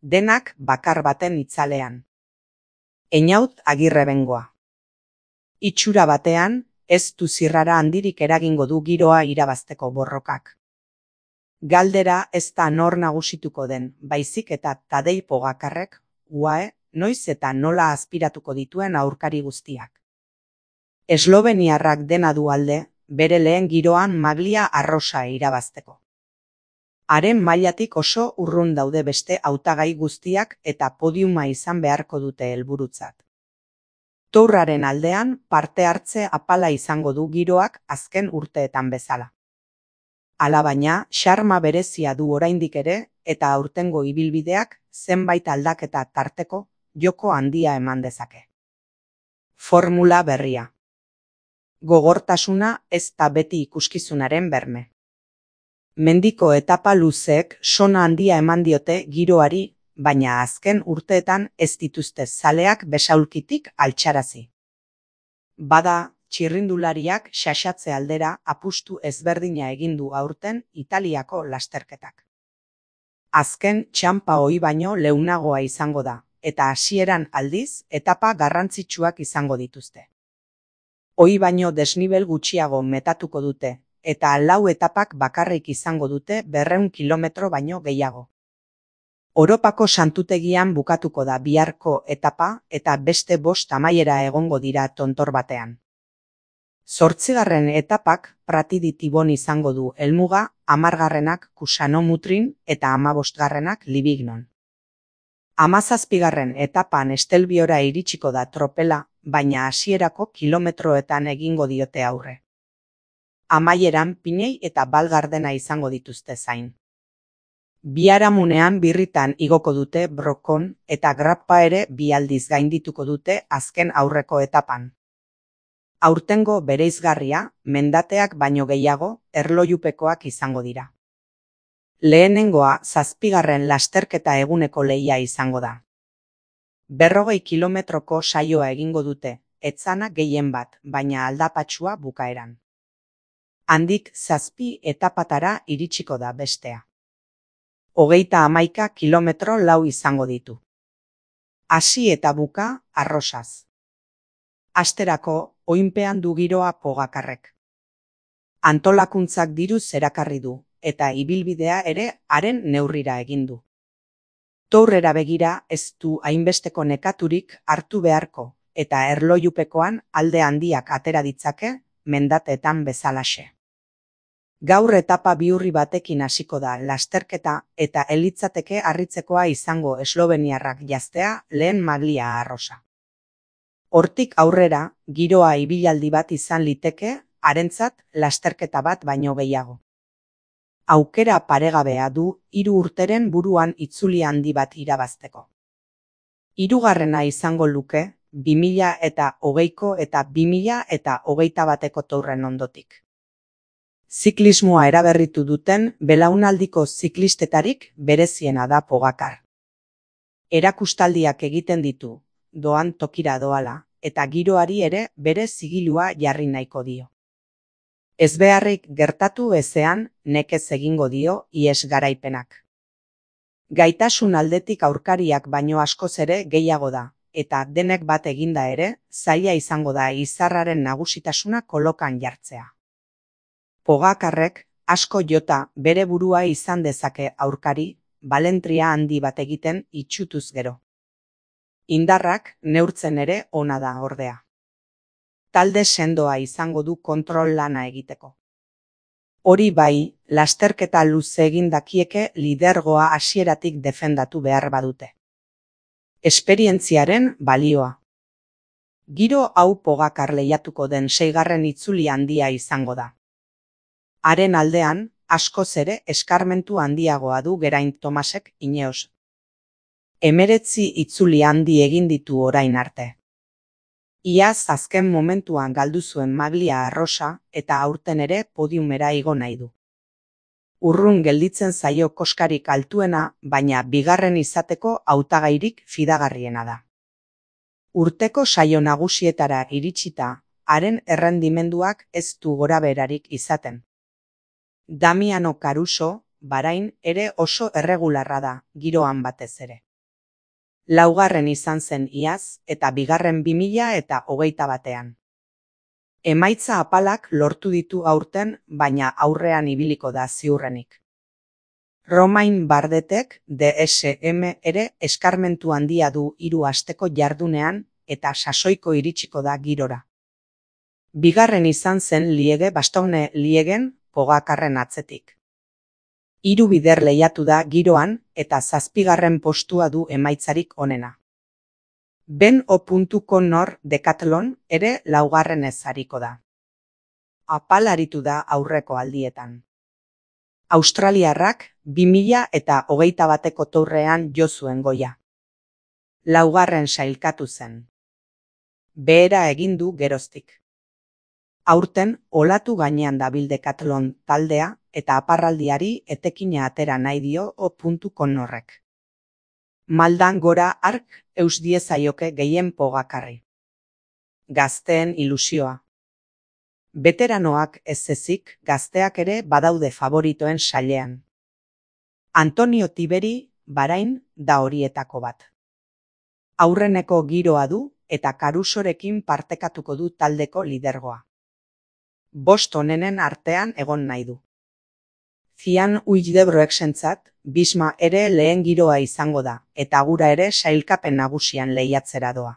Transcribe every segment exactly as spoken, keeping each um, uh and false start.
denak bakar baten itzalean. Einaut Agirrebengoa. Itxura batean, ez du zirrara handirik eragingo du giroa irabazteko borrokak. Galdera ez da nor nagusituko den, baizik eta Tadej Pogačarrek, U A E, noiz eta nola azpiratuko dituen aurkari guztiak. Esloveniarrak dena du alde, bere lehen giroan maglia arrosa irabazteko. Haren mailatik oso urrun daude beste hautagai guztiak eta podiuma izan beharko dute helburutzat. Tourraren aldean parte hartze apala izango du giroak azken urteetan bezala. Alabaina, xarma berezia du oraindik ere eta aurtengo ibilbideak zenbait aldaketa tarteko joko handia eman dezake. Formula berria. Gogortasuna ez da beti ikuskizunaren berme. Mendiko etapa luzeek sona handia eman diote giroari, baina azken urteetan ez dituzte zaleak besaulkitik altxarazi. Bada, txirrindulariak xaxatze aldera apustu ezberdina egin du aurten Italiako lasterketak. Azken txanpa ohi baino leunagoa izango da, eta hasieran aldiz etapa garrantzitsuak izango dituzte. Ohi baino desnibel gutxiago metatuko dute, eta lau etapak bakarrik izango dute berrehun kilometro baino gehiago. Europako santutegian bukatuko da biharko etapa eta beste bost amaiera egongo dira tontor batean. Zortzigarren etapak Pratidi Tibon izango du helmuga, hamargarrenak Kusano-Mutrin eta hamabostgarrenak Livignon. Hamazazpigarren etapan Estelbiora iritsiko da tropela, baina hasierako kilometroetan egingo diote aurre. Amaieran Pinei eta Balgardena izango dituzte zain. Biharamunean birritan igoko dute Brokon eta Grappa ere bi aldiz gaindituko dute azken aurreko etapan. Aurtengo bereizgarria, mendateak baino gehiago, erlojupekoak izango dira. Lehenengoa zazpigarren lasterketa eguneko lehia izango da. Berrogei kilometroko saioa egingo dute, etzana gehien bat, baina aldapatsua bukaeran. Handik zazpi etapatara iritsiko da bestea. Hogeita hamaika kilometro lau izango ditu. Hasi eta buka arrosaz. Asterako, oinpean du giroa Pogačarrek. Antolakuntzak diruz erakarri du, eta ibilbidea ere haren neurrira egin du. Tourrera begira ez du hainbesteko nekaturik hartu beharko, eta erlojupekoan alde handiak atera ditzake, mendateetan bezalaxe. Gaur etapa bihurri batekin hasiko da lasterketa eta elitzateke harritzekoa izango esloveniarrak jaztea lehen maglia arrosa. Hortik aurrera, giroa ibilaldi bat izan liteke, harentzat lasterketa bat baino gehiago. Aukera paregabea du hiru urteren buruan itzuli handi bat irabazteko. Hirugarrena izango luke, bi mila eta hogeiko eta bi mila eta hogeita bateko tourren ondotik. Ziklismoa eraberritu duten belaunaldiko ziklistetarik bereziena da Pogačar. Erakustaldiak egiten ditu, doan tokira doala, eta giroari ere bere zigilua jarri nahiko dio. Ezbeharrik gertatu ezean nekez egingo dio ihes garaipenak. Gaitasun aldetik aurkariak baino askoz ere gehiago da, eta denek bat eginda ere, zaila izango da izarraren nagusitasuna kolokan jartzea. Pogačarrek asko jota bere burua izan dezake aurkari, balentria handi bat egiten itxutuz gero. Indarrak neurtzen ere ona da ordea. Talde sendoa izango du kontrol lana egiteko. Hori bai, lasterketa luze egin dakieke lidergoa hasieratik defendatu behar badute. Esperientziaren balioa. Giro hau Pogačar lehiatuko den seigarren itzuli handia izango da. Haren aldean, askoz ere eskarmentu handiagoa du Geraint Thomasek Ineos. Hemeretzi itzuli handi egin ditu orain arte. Iaz azken momentuan galdu zuen maglia arrosa eta aurten ere podiumera igo nahi du. Urrun gelditzen zaio koskarik altuena, baina bigarren izateko hautagairik fidagarriena da. Urteko saio nagusietara iritsita, haren errendimenduak ez du gorabeherarik izaten. Damiano Caruso, Bahrain ere oso erregularra da, giroan batez ere. Laugarren izan zen iaz eta bigarren bi mila eta hogeita batean. Emaitza apalak lortu ditu aurten, baina aurrean ibiliko da ziurrenik. Romain Bardetek D S M ere eskarmentu handia du hiru asteko jardunean eta sasoiko iritsiko da girora. Bigarren izan zen Liege Bastogne Liegen Pogakarren atzetik. Hiru bider lehiatu da giroan eta zazpigarren postua du emaitzarik onena. Ben O puntu Connor Decathlon ere laugarren ez ariko da. Apal aritu da aurreko aldietan. Australiarrak bi mila eta hogeita bateko tourrean jo zuen goia. Laugarren sailkatu zen. Behera egin du geroztik. Aurten olatu gainean dabil Decathlon taldea eta aparraldiari etekina atera nahi dio O puntu Connorrek. Maldan gora ark eus diezaioke gehien Pogakarri. Gazteen ilusioa. Beteranoak ez ezik, gazteak ere badaude favoritoen sailean. Antonio Tiberi Bahrain da horietako bat. Aurreneko giroa du eta Carusorekin partekatuko du taldeko lidergoa. Bost onenen artean egon nahi du. Zian Uildebroeksentzat, Bisma ere lehen giroa izango da, eta gura ere sailkapen nagusian lehiatzera doa.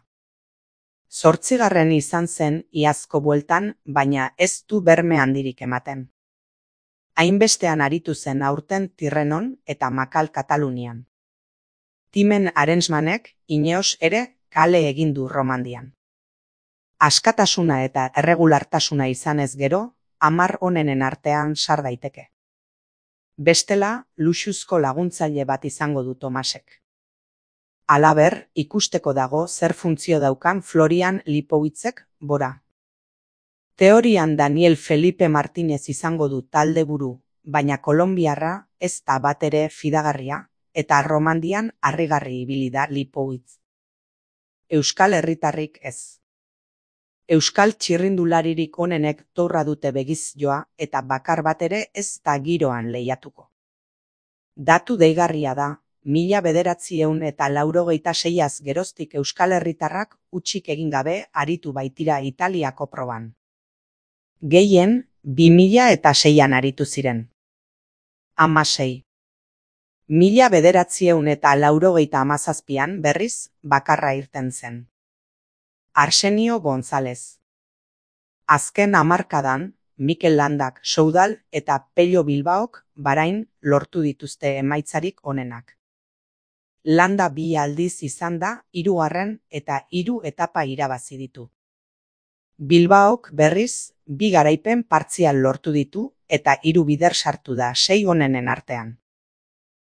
Zortzigarren izan zen iazko bueltan, baina ez du berme handirik ematen. Hainbestean aritu zen aurten Tirrenon eta Makal Katalunian. Timen Arensmanek Ineos ere kale egin du Romandian. Askatasuna eta erregulartasuna izanez gero, hamar onenen artean sar daiteke. Bestela, luxuzko laguntzaile bat izango du Tomasek. Halaber, ikusteko dago zer funtzio daukan Florian Lipowitzek bora. Teorian Daniel Felipe Martinez izango du talde buru, baina kolonbiarra ez da bat ere fidagarria, eta Romandian harrigarri ibili da Lipowitz. Euskal herritarrik ez. Euskal txirrindularirik onenek tourra dute begiz joa eta bakar bat ere ez da giroan lehiatuko. Datu deigarria da, mila bederatziehun eta laurogeita seiaz geroztik Euskal herritarrak hutsik egin gabe aritu baitira Italiako proban. Gehien, bi mila eta seian aritu ziren. Hamasei. Mila bederatziehun eta laurogeita hamazazpian berriz bakarra irten zen. Arsenio González. Azken hamarkadan, Mikel Landak Soudal eta Pello Bilbaok Bahrain lortu dituzte emaitzarik onenak. Landa bi aldiz izan da hirugarren eta hiru etapa irabazi ditu. Bilbaok berriz bi garaipen partzial lortu ditu eta hiru bider sartu da sei onenen artean.